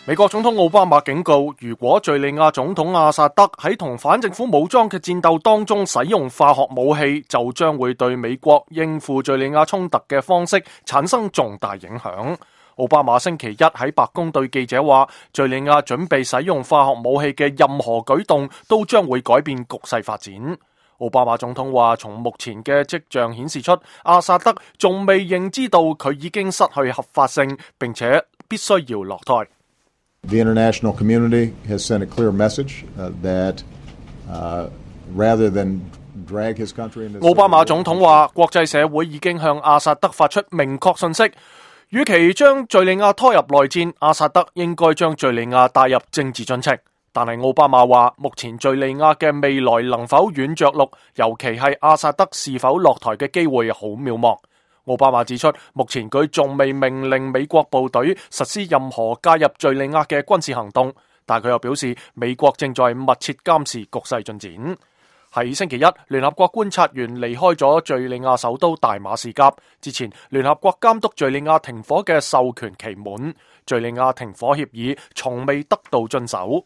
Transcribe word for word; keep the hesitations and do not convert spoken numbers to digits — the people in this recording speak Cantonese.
美國總統奧巴馬警告，如果敘利亞總統阿薩德喺同反政府武裝嘅戰鬥當中使用化學武器，就將會對美國應付敘利亞衝突嘅方式產生重大影響。奧巴馬星期一喺白宮對記者話，敘利亞準備使用化學武器嘅任何舉動都將會改變局勢發展。奧巴馬總統話，從目前嘅跡象顯示出，阿薩德仲未認知到佢已經失去合法性，並且必須要落台。The international community has sent a clear message uh, that uh, rather than drag his country into... 奧巴馬總統話，國際社會已經向阿薩德發出明確信息，與其將敘利亞拖入內戰，阿薩德應該將敘利亞帶入政治進程。但係奧巴馬話，目前敘利亞嘅未來能否軟着陸，尤其係阿薩德是否落台嘅機會好渺茫。奧巴馬指出，目前佢仲未命令美國部隊實施任何介入敘利亞嘅軍事行動，但佢又表示美國正在密切監視局勢進展。喺星期一，聯合國觀察員離開咗敘利亞首都大馬士革之前，聯合國監督敘利亞停火嘅授權期滿，敘利亞停火協議從未得到遵守。